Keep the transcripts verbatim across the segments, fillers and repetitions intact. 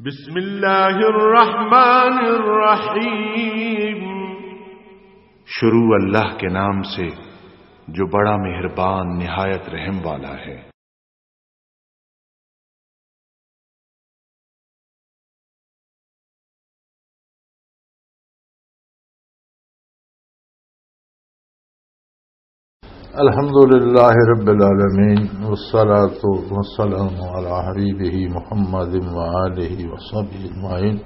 بسم اللہ الرحمن الرحیم۔ شروع اللہ کے نام سے، جو بڑا مہربان، نہایت رحم والا ہے۔ الحمد لله رب العالمين، والصلاة والسلام على حبيبه محمد وآله وصحبه أجمعين.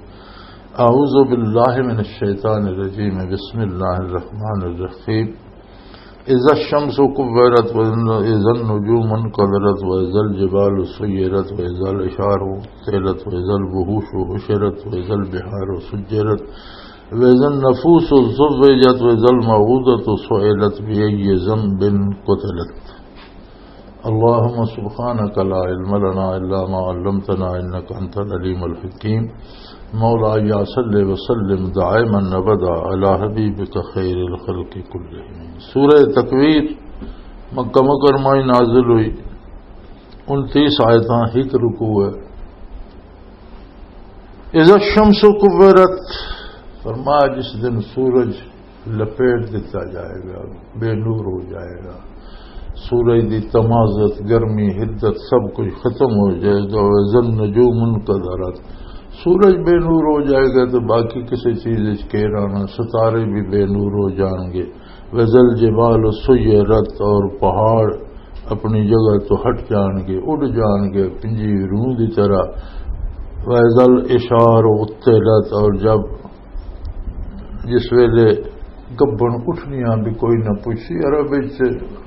أعوذ بالله من الشيطان الرجيم. بسم الله الرحمن الرحيم. إذا الشمس كورت، وإذا النجوم انكدرت، وإذا الجبال سيرت، وإذا العشار عطلت، وإذا الوحوش حشرت، وإذا البحار سجرت، وإذا النفوس زوجت، وإذا الموءودة سئلت، بأي ذنب قتلت. اللهم سبحانك لا علم لنا إلا ما علمتنا إنك أنت العليم الحكيم. مولاي صل وسلم دائما أبدا على حبيبك خير الخلق كلهم. سورہ تکویر مکہ مکرمہ ہی نازل ہوئی، انتیس آیتاں، ایک رکوع ہے۔ اذا الشمس کورت، فرمایا جس دن سورج لپیٹ دتا جائے گا، بے نور ہو جائے گا، سورج دی تمازت، گرمی، حدت، سب کچھ ختم ہو جائے گا۔ وَإِذَا النُّجُومُ انْكَدَرَتْ، سورج بے نور ہو جائے گا تو باقی کسی چیز وچ کیر آنا، ستارے بھی بے نور ہو جان گے۔ وَإِذَا الْجِبَالُ سُيِّرَتْ، اور پہاڑ اپنی جگہ تو ہٹ جان گے، اڑ جان گے پنجی روح دی طرح۔ وَإِذَا الْعِشَارُ عُطِّلَتْ، اور جب، جس ویلے گبن اٹھنیاں بھی کوئی نہ پوچھی، عرب وچ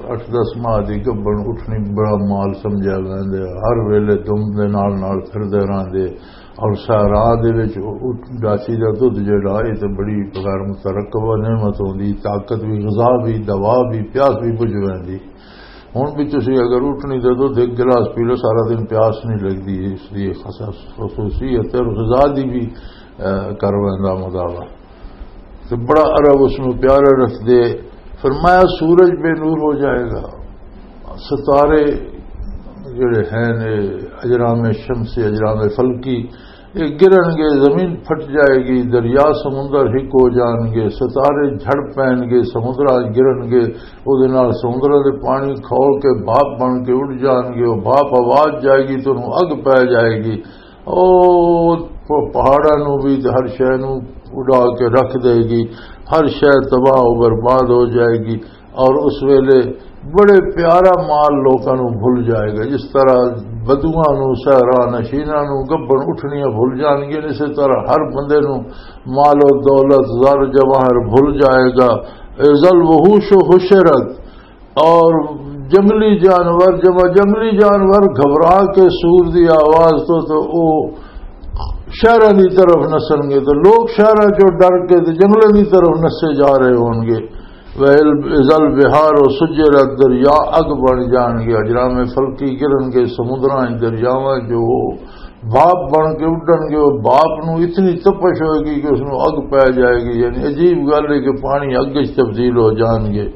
اٹھ دس ماہ دی گبن اٹھنی بڑا مال سمجھیا ویندے، ہر ویلے دم دے نال نال پھردے رہندے، اور صحرا دے وچ اٹھ-، ڈاچی دا دودھ جڑا، اے تے بڑی غیر مترقبہ نعمت ہوندی، طاقت بھی، غذا بھی، دوا بھی، پیاس بھی بجھ ویندی۔ ہن بھی تسی اگر اٹھنی دے دودھ ایک گلاس پی لو، سارا دن پیاس نہیں لگدی، اس دی خصوص-، خصوصیت ہے، اور غذا دی بھی، اے، کر ویندا مداوا۔ تے بڑا عرب اس نوں پیارا رکھدے۔ فرمایا سورج بے نور ہو جائے گا، ستارے جڑے ہیں نے، اجرام شمسی، اجرام فلکی، یہ گرن گے، زمین پھٹ جائے گی، دریا سمندر ہک ہو جان گے، ستارے جھڑ پین گے، سمندر گرن گے، او دے نال سمندر دے پانی کھول کے بھاپ بن کے اڑ جان گے، او بھاپ آواز جائے گی تو انہوں اگ پی جائے گی۔ او پ-، پہاڑاں نوں بھی تے ہر شے نوں اڈا کے رکھ دے گی، ہر شے تباہ و برباد ہو جائے گی۔ اور اس ویلے بڑے پیارا مال لوکاں نوں بھل جائے گا، جس طرح بدواں نوں، صحرا نشیناں نوں گبن اٹھنیاں بھل جان گیاں، اسی طرح ہر بندے نوں مال و دولت، زر جواہر بھل جائے گا۔ اذا الوحوش حشرت، اور جنگلی جانور، جب جنگلی جانور گھبرا کے سور دی آواز تو، تو او شہراں دی طرف نسن گے، تو لوگ شہراں چوں ڈر کے تے جنگلاں دی طرف نسے جا رہے ہون گے۔ وَإِذَا الْبِحَارُ سُجِّرَتْ، دریا اگ بن جان گے، اجرام فلکی گرن گے، سمندراں وچ دریاواں جو بھاپ بن کے اڈن گے، وہ بھاپ نو اتنی تپش ہوئے گی کہ اس نو اگ پی جائے گی۔ یعنی عجیب گل ہے کہ پانی اگ وچ تبدیل ہو جان گے۔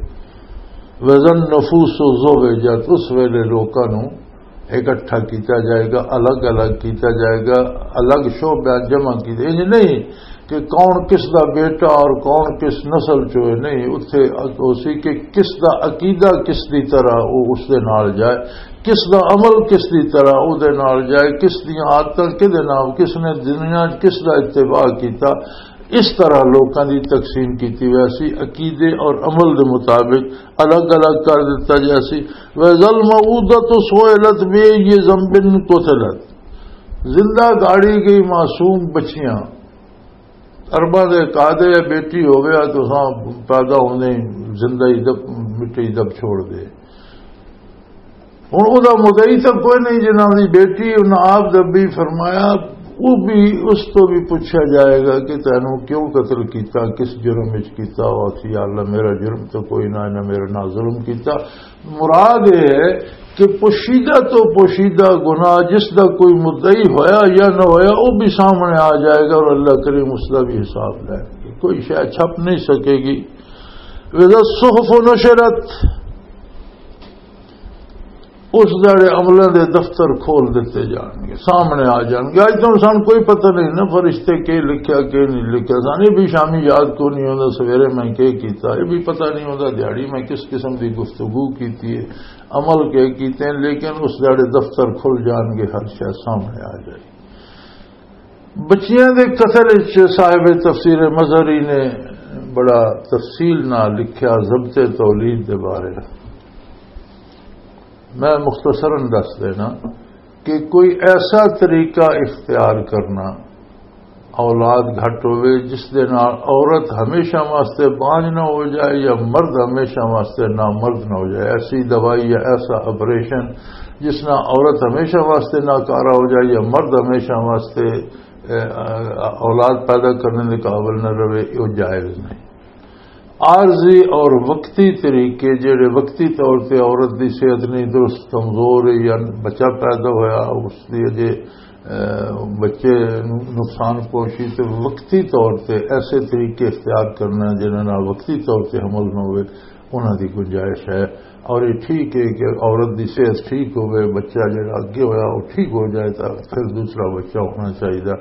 وزن نفوس و زوجت، اس ویلے لوکاں نو اکٹھا کیتا جائے گا، الگ الگ کیتا جائے گا، الگ شعبہ جمع کیتے۔ انج نہیں کہ کون کس دا بیٹا اور کون کس نسل چوئے، نہیں، اتھے اسی کہ کس دا عقیدہ کس دی طرح وہ اس دے نال جائے، کس دا عمل کس دی طرح او دے نال جائے، کس دیاں عادتاں کدے نال، کس نے دنیا وچ کس دا اتباع کیتا، اس طرح لوکاں دی تقسیم کیتی ویسی، عقیدے اور عمل دے مطابق الگ الگ کر دتا جاسی۔ وَإِذَا الْمَوْءُودَةُ سُئِلَتْ بِأَيِّ ذَنبٍ قُتِلَتْ، زندہ گاڑی گئی معصوم بچیاں، ارباں دے قادے بیٹی ہووے، تساں پیدا ہوندے ہی زندہ ہی دب، مٹی دب چھوڑ دے۔ ہن او دا مدعی تاں کوئی نہیں، جنہاں دی بیٹی انہاں آپ دبی۔ فرمایا او بھی، اس تو بھی پوچھا جائے گا کہ تینوں کیوں قتل کیتا، کس جرم وچ کیتا؟ او آکھی، یا اللہ، میرا جرم تو کوئی نہ، انہاں میرے نال ظلم کیتا۔ مراد یہ ہے کہ پوشیدہ تو پوشیدہ گناہ، جس دا کوئی مدعی ہویا یا نہ ہویا، وہ بھی سامنے آ جائے گا اور اللہ کریم اس دا بھی حساب لے گا۔ کوئی شے چھپ نہیں سکے گی۔ وَإِذَا الصُّحُفُ نُشِرَتْ، اس دہاڑے عملاں دے دفتر کھول دتے جان گے، سامنے آ جان گے۔ اج تو سان کوئی پتہ نہیں نا، فرشتے کے لکھیا، کے نہیں لکھیا۔ سان یہ بھی شامی یاد کو نہیں ہوندا، سویرے میں کے کیتا، یہ بھی پتہ نہیں ہوندا، دیہاڑی میں کس قسم دی گفتگو کیتی ہے، عمل کے کیتے ہیں، لیکن اس دہاڑے دفتر کھل جان گے، ہر شے سامنے آ جائے۔ بچیاں دے قتل وچ صاحب تفسیر مظہری نے بڑا تفصیل نال لکھیا ضبط تولید دے بارے۔ میں مختصراً دس دینا کہ کوئی ایسا طریقہ اختیار کرنا، اولاد گھٹ ہوئے، جس دے نال عورت ہمیشہ واسطے بانجھ نہ ہو جائے یا مرد ہمیشہ واسطے نامرد نہ ہو جائے، ایسی دوائی یا ایسا آپریشن جس نال عورت ہمیشہ واسطے ناکارہ ہو جائے یا مرد ہمیشہ واسطے، اے، اولاد پیدا کرنے دے قابل نہ رہے، وہ جائز نہیں۔ عارضی اور وقتی طریقے، جڑے وقتی طور تے عورت دی صحت نہیں درست، کمزور ہے یا بچہ پیدا ہویا، اس دی اجے، اے، بچے نوں نقصان پہنچی، تے وقتی طور تے ایسے طریقے اختیار کرنا جنہاں نال وقتی طور تے حمل نہ ہوئے، انہاں دی گنجائش ہے۔ اور یہ ٹھیک ہے کہ عورت دی صحت ٹھیک ہوئے، بچہ جڑا اگے ہویا وہ ٹھیک ہو جائے، تو پھر دوسرا بچہ ہونا چاہیے۔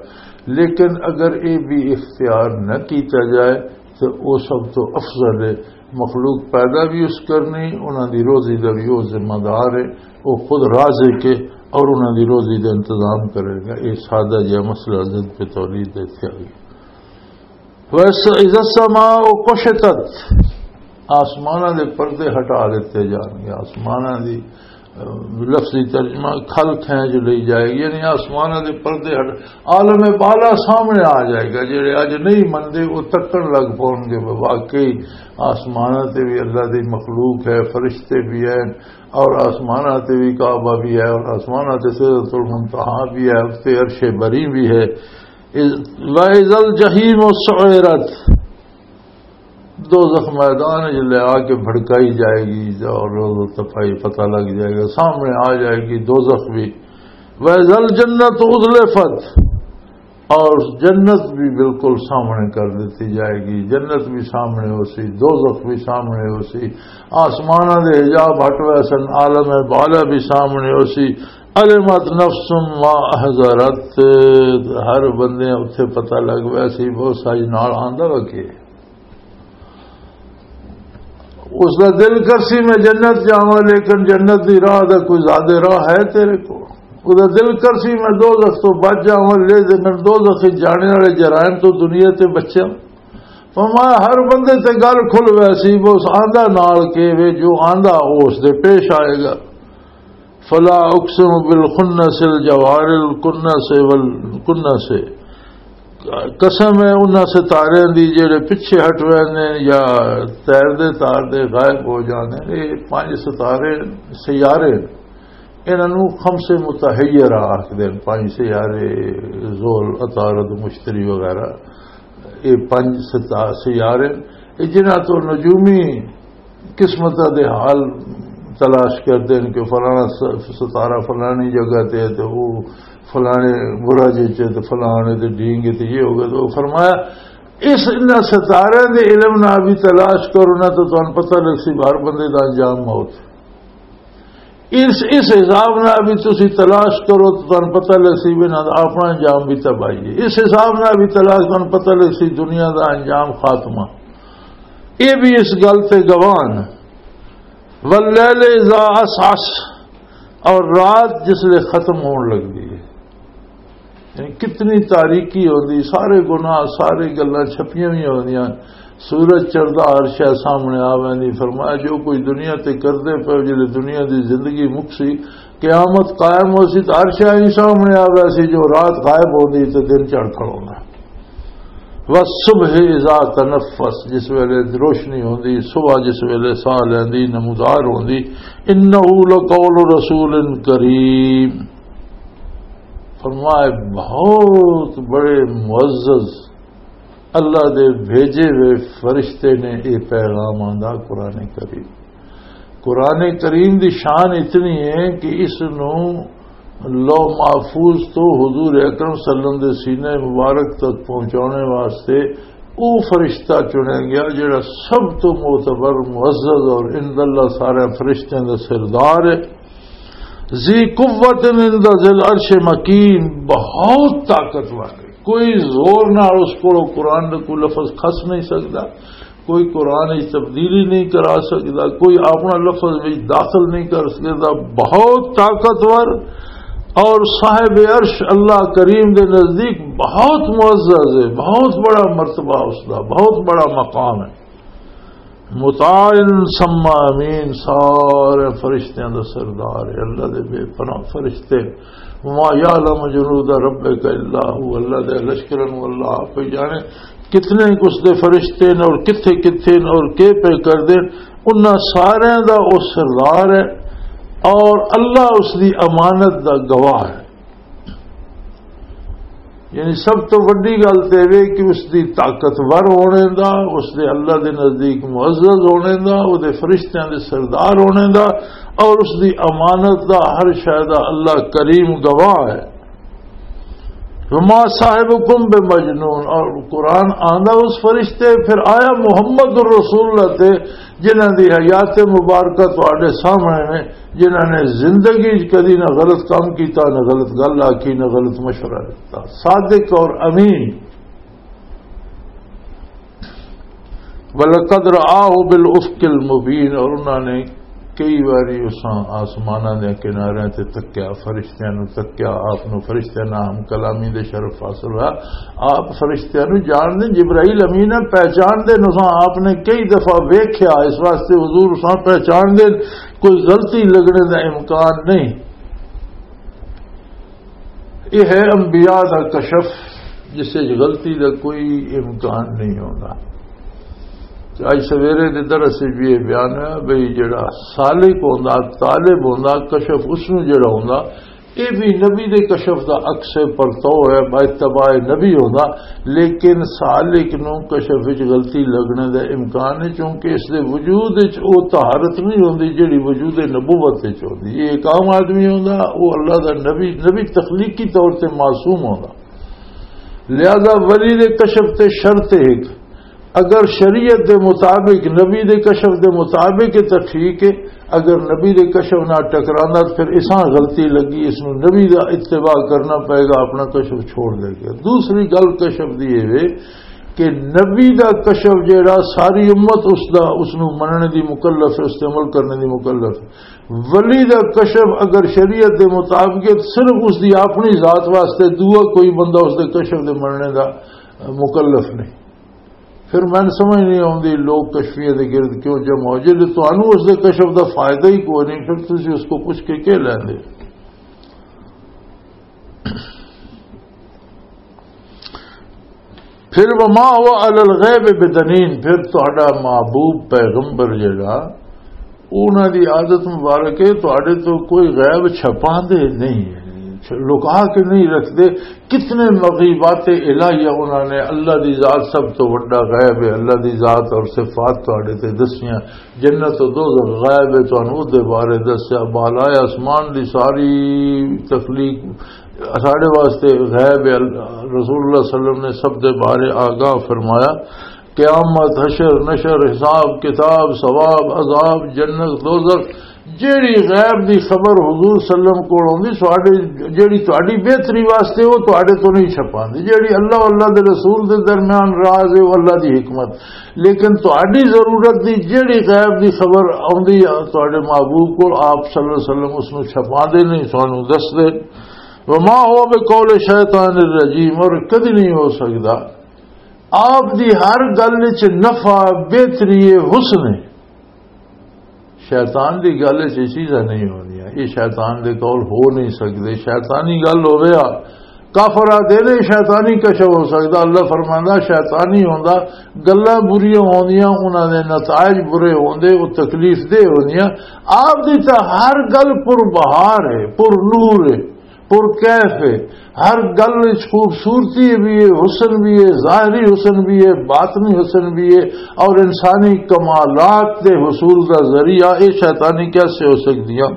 لیکن اگر یہ بھی اختیار نہ کیتا جائے تو وہ سب تو افضل ہے۔ مخلوق پیدا بھی اس کرنی، انہاں دی روزی دا بھی وہ ذمہ دار ہے، وہ خود رازق ہے اور انہاں دی روزی دا انتظام کرے گا۔ یہ سادہ جہا مسئلہ ضد پہ تولید دے تھے۔ ویسے اذا السماء کشطت، آسماناں دے پردے ہٹا دیتے جان گے۔ آسماناں دی، اہ، لفظی ترجمہ کھل کھینچ لئی جائے گی، یعنی آسماناں دے پردے ہٹ، عالم بالا سامنے آ جائے گا۔ جڑے اج نہیں مندے، وہ تکن لگ پون گے، واقعی آسماناں تے بھی اللہ دی مخلوق ہے، فرشتے بھی ہیں، اور آسماناں تے بھی کعبہ بھی ہے، اور آسماناں تے سدرۃ المنتہا بھی ہے، اس تے عرش بری بھی ہے۔ اذ-، وَإِذَا الْجَحِيمُ سُعِّرَتْ، دوزخ میدان وچ لے آ کے بھڑکائی جائے گی اور روز تفائی پتہ لگ جائے گا، سامنے آ جائے گی دوزخ بھی۔ وَإِذَا الْجَنَّةُ أُزْلِفَتْ، اور جنت بھی بالکل سامنے کر دیتی جائے گی، جنت بھی سامنے ہو سی، دوزخ بھی سامنے ہو سی، آسماناں دے حجاب ہٹ ویسن، عالم بالا بھی سامنے ہو سی۔ علمت نفس ما احضرت، ہر بندے اتھے پتہ لگ ویسی وہ سج نال آندا وا کہ اس دا دل کرسی میں جنت جاواں، لیکن جنت دی راہ دا کوئی زیادہ راہ ہے تیرے کو؟ اس دا دل کرسی میں دوزخ تو بچ جاواں، لیکن دوزخ وچ جانے والے جرائم تو دنیا تے بچیا۔ فرمایا ہر بندے تے گل کھل ویسی، وہ آندا نال کے وے، جو آندا وہ اس دے پیش آئے گا۔ فلا اقسم بالخنس الجوار الکنس والکنس، قسم ہے انہاں ستارے دی جڑے پیچھے ہٹ ہوئے نے یا تیر دے تار دے غائب ہو جانے۔ یہ پانچ ستارے، سیارے، انہاں نوں خمس متحیرہ آکھدے نے، پانچ سیارے، زحل، عطارد، مشتری وغیرہ۔ یہ پانچ ستا-، سیارے، یہ جنہاں تو نجومی قسمت دے حال تلاش کردے نے کہ فلانا س-، ستارہ فلانی جگہ تے ہے تے وہ فلانے برج وچ ہے تے فلانے تے ڈینگ تے یہ ہو گیا۔ تو فرمایا، اس انہاں ستارے دے علم نال بھی تلاش کرو نا، تو تانوں پتہ لگ سی ہر بندے دا انجام موت۔ اس، اس حساب نال بھی تسی تلاش کرو تو تانوں پتہ لگ سی بھی انہاں دا اپنا انجام بھی تباہی ہے۔ اس حساب نال بھی تلاش، تانوں پتہ لگ سی دنیا دا انجام خاتمہ۔ یہ بھی اس گل تے گواہ نے۔ واللیل اذا عسعس، اور رات جس لے ختم ہون لگدی ہے، یعنی کتنی تاریکی ہوندی، سارے گناہ، ساری گلاں چھپیاں ہوئی ہوندیاں۔ سورج چڑھدا، ہر شے سامنے آ ویندی۔ فرمایا جو کوئی دنیا تے کردے پے، جلے دنیا دی زندگی مکسی، قیامت قائم ہو سی، تو ہر شے ہی سامنے آ ویسی۔ جو رات غائب ہوندی تے دن چڑھ کھڑوندا۔ والصبح اذا تنفس، جس ویلے روشنی ہوندی، صبح جس ویلے ساہ لیندی، نمودار ہوندی، انہ لقول رسول کریم۔ فرمائے، بہت بڑے معزز اللہ دے بھیجے ہوئے فرشتے نے یہ پیغام آندا، قرآن کریم۔ قرآن کریم دی شان اتنی ہے کہ اس نو لوح محفوظ تو حضور اکرم صلی اللہ علیہ وسلم دے سینے مبارک تک پہنچانے واسطے او فرشتہ چنیا گیا جڑا سب تو معتبر، معزز اور عند اللہ سارے فرشتیاں دا سردار ہے۔ ذی قوت عند ذی العرش مکین، بہت طاقتور ہے، کوئی زور نال اس کو قرآن دا کوئی لفظ کھس نہیں سکدا، کوئی قرآن وچ تبدیلی نہیں کرا سکدا، کوئی اپنا لفظ وچ داخل نہیں کر سکدا، بہت طاقتور۔ اور صاحب عرش اللہ کریم دے نزدیک بہت معزز ہے، بہت بڑا مرتبہ اس دا، بہت بڑا مقام ہے۔ مطاع ثم امین، سارے فرشتیاں دا سردار ہے، اللہ دے بے پناہ فرشتے۔ وما یعلم جنود ربک الا هو، اللہ دے لشکراں نوں اللہ آپ ہی جانے، کتنے اس دے فرشتے نے اور کتھے کتھے نے اور کے پہ کر دے، انہاں سارے دا او سردار ہے اور اللہ اس دی امانت دا گواہ ہے۔ یعنی سب تو وڈی گل تے وے کہ اس دی طاقتور ہونے دا، اس دے اللہ دے نزدیک معزز ہونے دا، او دے فرشتیاں دے سردار ہونے دا، اور اس دی امانت دا ہر شے دا اللہ کریم گواہ ہے۔ وما صاحبکم بمجنون، اور قرآن آندا اس فرشتے، پھر آیا محمد الرسول اللہ تے، جنہاں دی حیات مبارکہ تواڈے سامنے نے، جنہاں نے زندگی وچ کدی نہ غلط کام کیتا، نہ غلط گل آکھی، نہ غلط مشورہ دیتا، صادق اور امین۔ وَلَقَدْ رَآهُ بِالْأُفْقِ الْمُبِينِ، اور انہاں نے کئی واری اساں آسماناں دے کناریاں تے تکیا، فرشتیاں نوں تکیا، آپ نوں فرشتیاں نال ہم کلامی دے شرف حاصل ہوا۔ آپ فرشتیاں نوں جان دے، جبرائیل امین ہے، پہچان دے، اساں آپ نے کئی دفعہ ویکھیا، اس واسطے حضور اساں پہچان دے، کوئی غلطی لگنے دا امکان نہیں۔ یہ ہے انبیاء دا کشف، جس وچ غلطی دا کوئی امکان نہیں ہوندا۔ تے اج سویرے دے درس وچ بھی یہ بیان ہے بھئی، جڑا سالک ہوندا، طالب ہوندا، کشف اس نوں جڑا ہوندا، یہ بھی نبی دے کشف دا عکس پرتو ہے، با اتباع نبی ہوندا، لیکن سالک نوں کشف وچ غلطی لگنے دا امکان ہے، کیونکہ اس دے وجود وچ او طہارت نہیں ہوندی جڑی وجود نبوت وچ ہوندی۔ یہ ایک عام آدمی ہوندا، او اللہ دا نبی، نبی تخلیقی طور تے معصوم ہوندا۔ لہذا ولی دے کشف تے شرط ایک، اگر شریعت دے مطابق، نبی دے کشف دے مطابق ہے تو ٹھیک ہے، اگر نبی دے کشف نہ ٹکراندا تو پھر اساں غلطی لگی، اس نوں نبی دا اتباع کرنا پائے گا، اپنا کشف چھوڑ دے گا۔ دوسری گل کشف دی یہ وے کہ نبی دا کشف جیڑا ساری امت اس دا، اس نوں مننے دی مکلف ہے، اس تے عمل کرنے دی مکلف ہے۔ ولی دا کشف اگر شریعت دے مطابق ہے، صرف اس دی اپنی ذات واسطے دعا، کوئی بندہ اس دے کشف دے مننے دا مکلف نہیں۔ پھر میں سمجھ نہیں آؤندی لوگ کشفیہ دے گرد کیوں جمع ہو۔ جے تانوں اس دے کشف دا فائدہ ہی کوئی نہیں، پھر تسی اس کو پوچھ کے کیا لیندے؟ پھر وما هو على الغيب بضنين، پھر تہاڈا محبوب پیغمبر جڑا، انہاں دی عادت مبارک ہے، تہاڈے تو کوئی غیب چھپاندے نہیں، لکا کے نہیں رکھدے۔ کتنے مغیبات الہیہ انہاں نے، اللہ دی ذات سب تو وڈا غیب ہے، اللہ دی ذات اور صفات تہاڈے تے دسیاں، جنت و دوزخ غیب ہے، تانوں او دے بارے دسیا، بالائے آسمان دی ساری تخلیق ساڈے واسطے غیب ہے۔ رسول اللہ صلی اللہ علیہ وسلم نے سب دے بارے آگاہ فرمایا، قیامت، حشر، نشر، حساب، کتاب، ثواب، عذاب، جنت، دوزخ، جیڑی غیب دی خبر حضور صلی اللہ علیہ وسلم کول ہوندی، ساڈے، جیڑی تہاڈی بہتری واسطے، وہ تہاڈے تو نہیں چھپاندے۔ جیڑی اللہ، اللہ دے رسول دے درمیان راز ہے، وہ اللہ دی حکمت۔ لیکن تہاڈی ضرورت دی جیڑی غیب دی خبر آندی ہے تہاڈے محبوب کول، آپ صلی اللہ علیہ وسلم اس نوں چھپاندے نہیں، سانوں دسدے۔ وما هو بقول شیطان الرجیم، اور کدی نہیں ہو سکدا۔ آپ دی ہر گل وچ نفع، بہتری، حسن ہے۔ شیطان دی گل وچ یہ چیزاں نہیں ہوندیاں، یہ شیطان دے قول ہو نہیں سکدے۔ شیطانی گل ہویا، کافر آدھے نے شیطانی کشف ہو سکدا، اللہ فرماندا شیطانی ہوندا، گلاں بریاں ہوندیاں، انہاں دے نتائج برے ہوندے، وہ تکلیف دہ ہوندیاں۔ آپ دی تاں ہر گل پر بہار ہے، پر نور ہے، پر کیف ہے۔ ہر گل وچ خوبصورتی بھی ہے، حسن بھی ہے، ظاہری حسن بھی ہے، باطنی حسن بھی ہے، اور انسانی کمالات دے حصول دا ذریعہ، یہ شیطانی کیسے ہو سکدیاں؟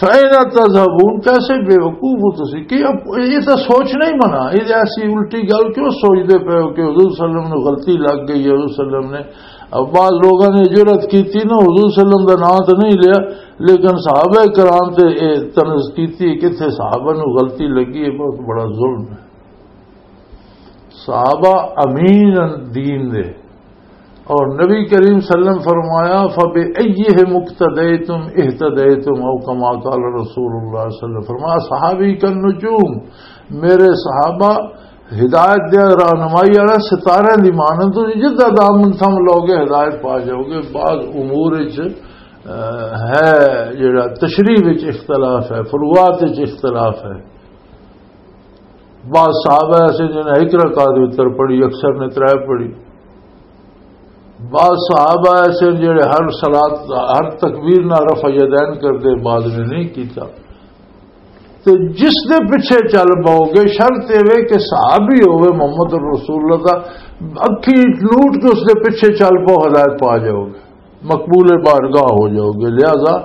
فَأَيْنَ تَذْهَبُونَ، کیسے بے وقوف ہو تسی کہ اب یہ تو سوچنا ہی منع، یہ ایسی الٹی گل کیوں سوچدے پے ہو کہ حضور صلی اللہ علیہ وسلم نے غلطی لگ گئی ہے؟ حضور صلی اللہ علیہ وسلم نے، اب بعض لوگوں نے جرأت کی تھی نا، حضور صلی اللہ علیہ وسلم دا نام تو نہیں لیا، لیکن صحابہ کرام تے اے طنز کیتی کہ اتھے صحابہ نو غلطی لگی، یہ بہت بڑا ظلم ہے۔ صحابہ امین دین دے، اور نبی کریم صلی اللہ علیہ وسلم فرمایا، "فبأيهم اقتديتم اهتديتم"، او کما قال رسول اللہ صلی اللہ علیہ وسلم۔ فرمایا، "صحابی کا نجوم"، میرے صحابہ ہدایت دے رہنمائی والا ستارے دی مانند، تو جدھر دامن تھم لوگے ہدایت پا جاؤ گے۔ بعض امور وچ، آ، ہے جڑا تشریح وچ اختلاف ہے، فروعات وچ اختلاف ہے۔ بعض صحابہ ایسے جنہیں ایک رکعت وتر پڑھی، اکثر نے ترے پڑھی۔ بعض صحابہ ایسے جڑے ہر صلات، ہر تکبیر نہ رفع یدین کردے، بعض نے نہیں کیتا۔ تے جس دے پیچھے چل پاؤ گے، شرط یہ وے کہ صحابی ہوئے محمد رسول اللہ دا، اکھی لوٹ کے اس دے پیچھے چل پاؤ، ہدایت پا جاؤ گے، مقبول بارگاہ ہو جاؤ گے۔ لہذا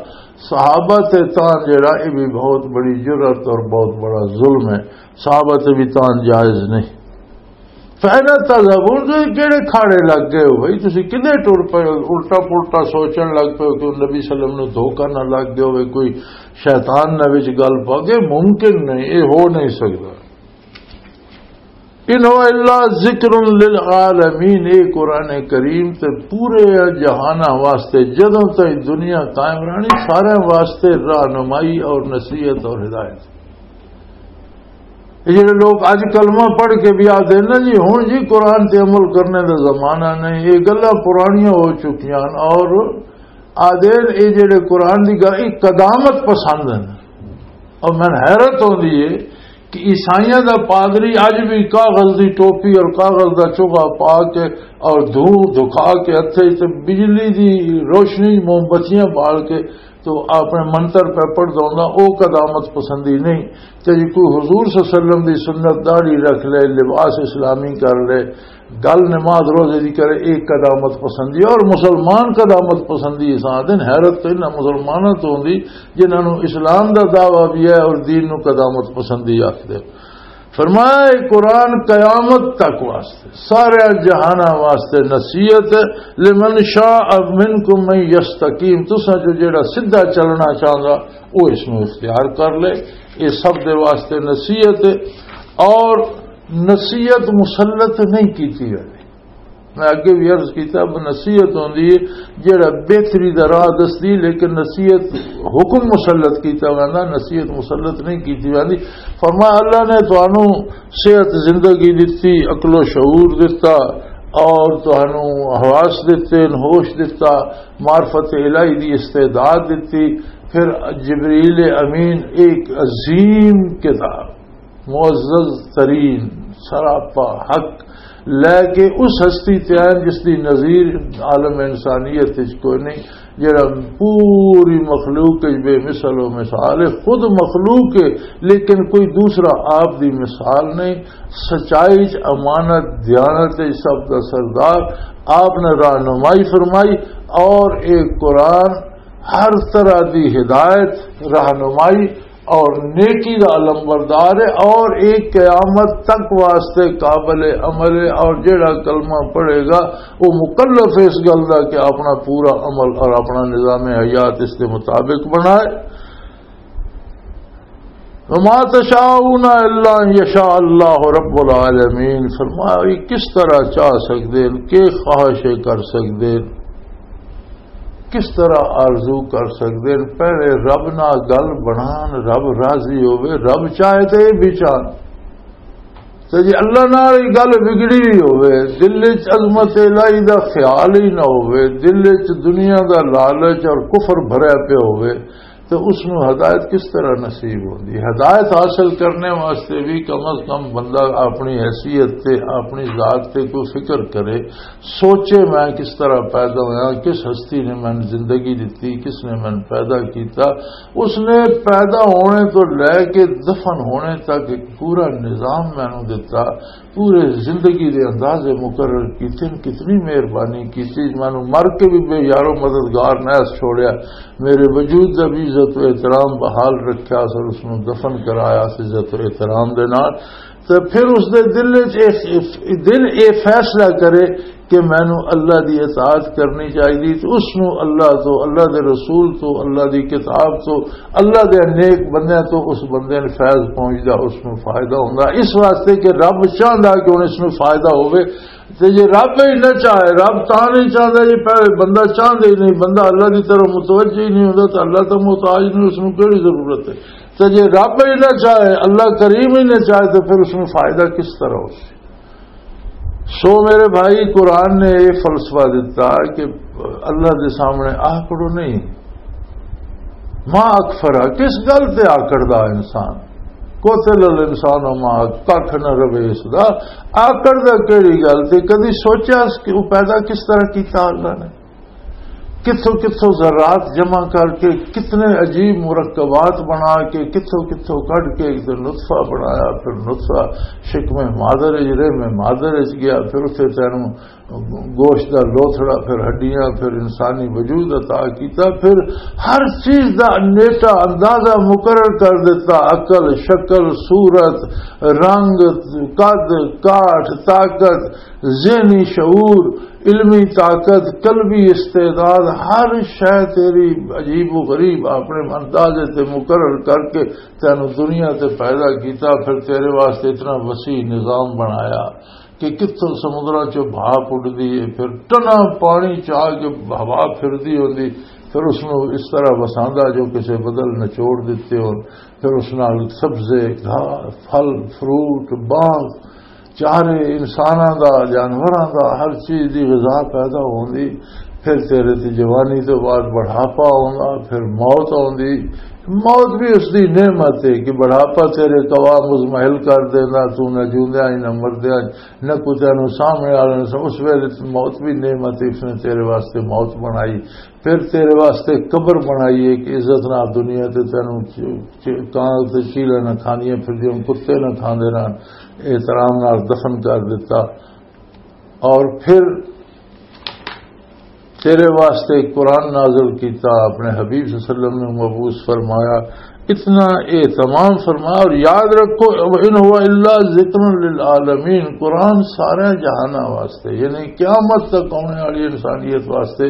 صحابہ تے تان جڑا، یہ بھی بہت بڑی جرأت اور بہت بڑا ظلم ہے۔ صحابہ تے بھی تان جائز نہیں۔ فَأَيْنَ تَذْهَبُونَ، تو یہ کہڑے کھاڑے لگ گئے ہو بھائی؟ تسی کدے ٹر پئے ہو؟ الٹا پلٹا سوچن لگ پئے ہو کہ نبی صلی اللہ علیہ وسلم نو دھوکا نہ لگ گیا ہوئے، کوئی شیطان نہ وچ گل پا گئے؟ ممکن نہیں، یہ ہو نہیں سکتا۔ "إِنْ هُوَ إِلَّا ذِكْرٌ لِلْعَالَمِينَ"، یہ قرآن کریم تے پورے جہاناں واسطے، جدوں تک دنیا قائم رہنی، سارے واسطے رہنمائی اور نصیحت اور ہدایت۔ یہ جڑے لوگ اج کلمہ پڑھ کے بھی آدھے نا جی، ہن جی قرآن تے عمل کرنے دا زمانہ نہیں، یہ گلاں پرانیاں ہو چکیاں ہن۔ اور آدھے یہ جڑے قرآن دی گل، یہ قدامت پسند ہیں۔ اور میں حیرت ہوندی ہے کہ عیسائیاں دا پادری اج بھی کاغذ دی ٹوپی اور کاغذ دا چوغا پا کے اور دھوں دکھا کے ہتھے تے بجلی دی روشنی موم بتیاں بال کے تو اپنے منتر پہ پڑھدا ہوندا، او قدامت پسندی نہیں۔ تے جی کوئی حضور صلی اللہ علیہ وسلم دی سنت داڑھی رکھ لے، لباس اسلامی کر لے، گل نماز روزے دی کرے، ایک قدامت پسندی۔ اور مسلمان قدامت پسندی اساں دن، حیرت تو انہاں مسلماناں تو ہوندی جنہاں نوں اسلام دا دعویٰ بھی ہے اور دین نوں قدامت پسندی آکھدے۔ فرمایا، یہ قرآن قیامت تک واسطے، سارے جہاناں واسطے نصیحت ہے۔ لمن شاء منکم من یستقیم، تساں جو جڑا سیدھا چلنا چاہندا، وہ اس نوں اختیار کر لے۔ یہ سب دے واسطے نصیحت ہے۔ اور نصیحت مسلط نہیں کیتی ویندی۔ میں اگے بھی عرض کیتا، اب نصیحت ہوندی ہے جڑا بہتری دا راہ دسدی، لیکن نصیحت حکم مسلط کیتا ویندا، نصیحت مسلط نہیں کیتی ویندی۔ فرمایا، اللہ نے تانوں صحت زندگی دتی، عقل و شعور دتا، اور تانوں حواس دتے، ہوش دتا، معرفت الہی دی استعداد دتی۔ پھر جبریل امین ایک عظیم کتاب، معزز ترین، سراپا حق لے کے اس ہستی تے آئے جس دی نظیر عالم انسانیت وچ کوئی نہیں، جڑا پوری مخلوق وچ بے مثل و مثال ہے، خود مخلوق ہے، لیکن کوئی دوسرا آپ دی مثال نہیں۔ سچائی چ، امانت، دیانت چ سب دا سردار، آپ نے رہنمائی فرمائی۔ اور ایک قرآن ہر طرح دی ہدایت، رہنمائی اور نیکی دا علمبردار ہے، اور ایک قیامت تک واسطے قابل عمل ہے، اور جڑا کلمہ پڑھے گا وہ مکلف ہے اس گل دا کہ اپنا پورا عمل اور اپنا نظام حیات اس کے مطابق بنائے۔ وما تشاءون الا ان یشاء اللہ رب العالمین۔ فرمایا، یہ کس طرح چاہ سکدے ہیں، کہ خواہش کر سکدے ہیں، کس طرح آرزو کر سکدے ہیں؟ پہلے رب نال گل بنان، رب راضی ہوے، رب چاہے تے یہ بھی چاہن۔ تے جے اللہ نال یہ گل بگڑی ہوئی ہوے، دل وچ عظمت الہی دا خیال ہی نہ ہوے، دل وچ دنیا دا لالچ اور کفر بھریا پیا ہوے، تے اس نوں ہدایت کس طرح نصیب ہوندی؟ ہدایت حاصل کرنے واسطے بھی کم از کم بندہ اپنی حیثیت تے، اپنی ذات تے کوئی فکر کرے، سوچے، میں کس طرح پیدا ہویا، کس ہستی نے مینوں زندگی دتی، کس نے مینوں پیدا کیتا۔ اس نے پیدا ہونے تو لے کے دفن ہونے تک ایک پورا نظام مینوں دتا، پورے زندگی دے اندازے مقرر کیتے ہیں۔ کتنی مہربانی کیتی، مینوں مر کے بھی بے یارو مددگار نہ چھوڑیا، میرے وجود دا بھی عزت و احترام بحال رکھیا سر، اس نوں دفن کرایا سی عزت و احترام دے نال۔ تے پھر اس دے دل وچ اے، دل اے فیصلہ کرے کہ مینوں اللہ دی اطاعت کرنی چاہیے، تو اس نوں اللہ تو، اللہ دے رسول تو، اللہ دی کتاب تو، اللہ دے نیک بندیاں تو اس بندے نوں فیض پہنچدا، اس نوں فائدہ ہوندا۔ اس واسطے کہ رب چاہندا کہ ہن اس نوں فائدہ ہوے۔ تے جے رب ہی نہ چاہے، رب تاں نہیں چاہندا جے پہلے بندہ چاہندا ہی نہیں، بندہ اللہ دی طرف متوجہ ہی نہیں ہوندا، تے اللہ تاں محتاج نہیں، اس نوں کیڑی ضرورت ہے؟ تے جے رب ہی نہ چاہے، اللہ کریم ہی نہ چاہے، تے پھر اس نوں فائدہ کس طرح ہو؟ سو میرے بھائی، قرآن نے یہ فلسفہ دیتا کہ اللہ دے سامنے آکڑو نہیں۔ ما اکفرا، کس گل تے آکڑدا انسان؟ قتل الانسان و ما، ککھ نہ رہے اس دا۔ آکڑدا کیڑی گل تے؟ کدی سوچیا اس کہ وہ پیدا کس طرح کیتا اللہ نے؟ کتھوں کتھوں ذرات جمع کر کے، کتنے عجیب مرکبات بنا کے، کتھوں کتھوں کڈ کے ایک دن نطفہ بنایا، پھر نطفہ شکم مادر وچ، رحم مادر وچ گیا، پھر اتھے تینوں گوشت دا لوتھڑا، پھر ہڈیاں، پھر انسانی وجود عطا کیتا، پھر ہر چیز دا نیٹا اندازہ مقرر کر دیتا، عقل، شکل، صورت، رنگ، قد، کاٹھ، طاقت، ذہنی شعور، علمی طاقت، قلبی استعداد، ہر شے تیری عجیب و غریب اپنے اندازے تے مقرر کر کے تینوں دنیا تے پیدا کیتا، پھر تیرے واسطے اتنا وسیع نظام بنایا کہ کتھوں سمندراں چوں بھاپ اڈدی ہے، پھر ٹنا پانی چا کے ہوا پھردی ہوندی، پھر اس نوں اس طرح وساندا جو کسے بدل نچوڑ دتے ہون، پھر اس نال سبزے، گھاس، پھل، فروٹ، باغ، چارے، انساناں دا، جانوراں دا، ہر چیز دی غذا پیدا ہوندی۔ پھر تیرے تے جوانی تو بعد بڑھاپا آوندا، پھر موت آوندی۔ موت بھی اس دی نعمت ہے کہ بڑھاپا تیرے قوام مزمحل کر دیندا، تو نہ جیوندیاں ہی نہ مردیاں، نہ کوئی تینوں سامنے آ رہا، اس ویلے موت بھی نعمت ہے، اس نے تیرے واسطے موت بنائی۔ پھر تیرے واسطے قبر بنائی ہے کہ عزت نال دنیا تے تینوں چ-، چ-، کان تے چیلے نہ کھاندیاں پھردیاں، کتے نہ کھاندے رہن، احترام نال دفن کر دیتا۔ اور پھر تیرے واسطے قرآن نازل کیتا، اپنے حبیب صلی اللہ علیہ وسلم نے مبعوث فرمایا، اتنا اہتمام فرمایا۔ اور یاد رکھو، "ان هو الا ذکر للعالمین"، قرآن سارے جہاناں واسطے، یعنی قیامت تک آنے والی انسانیت واسطے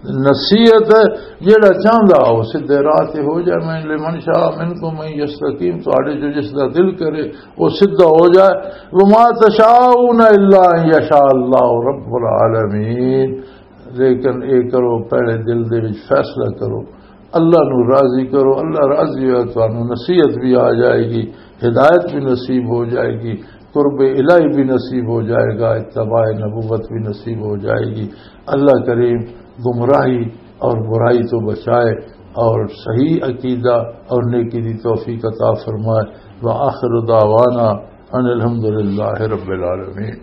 نصیحت ہے۔ جیڑا چاہندا ہو سیدھے راہ تے ہو جائے، میں "لمن شاء منکم من یستقیم"، تہاڈے جو جس دا دل کرے وہ سیدھا ہو جائے۔ "وما تشاءون الا ان یشاء اللہ رب العالمین"، لیکن اے کرو، پہلے دل دے وچ فیصلہ کرو، اللہ نو راضی کرو، اللہ راضی ہویا، تانوں نصیحت بھی آ جائے گی، ہدایت بھی نصیب ہو جائے گی، قرب الہی بھی نصیب ہو جائے گا، اتباع نبوت بھی نصیب ہو جائے گی۔ اللہ کریم گمراہی اور برائی تو بچائے اور صحیح عقیدہ اور نیکی دی توفیق عطا فرمائے۔ وآخر دعوانا ان الحمدللہ رب العالمین۔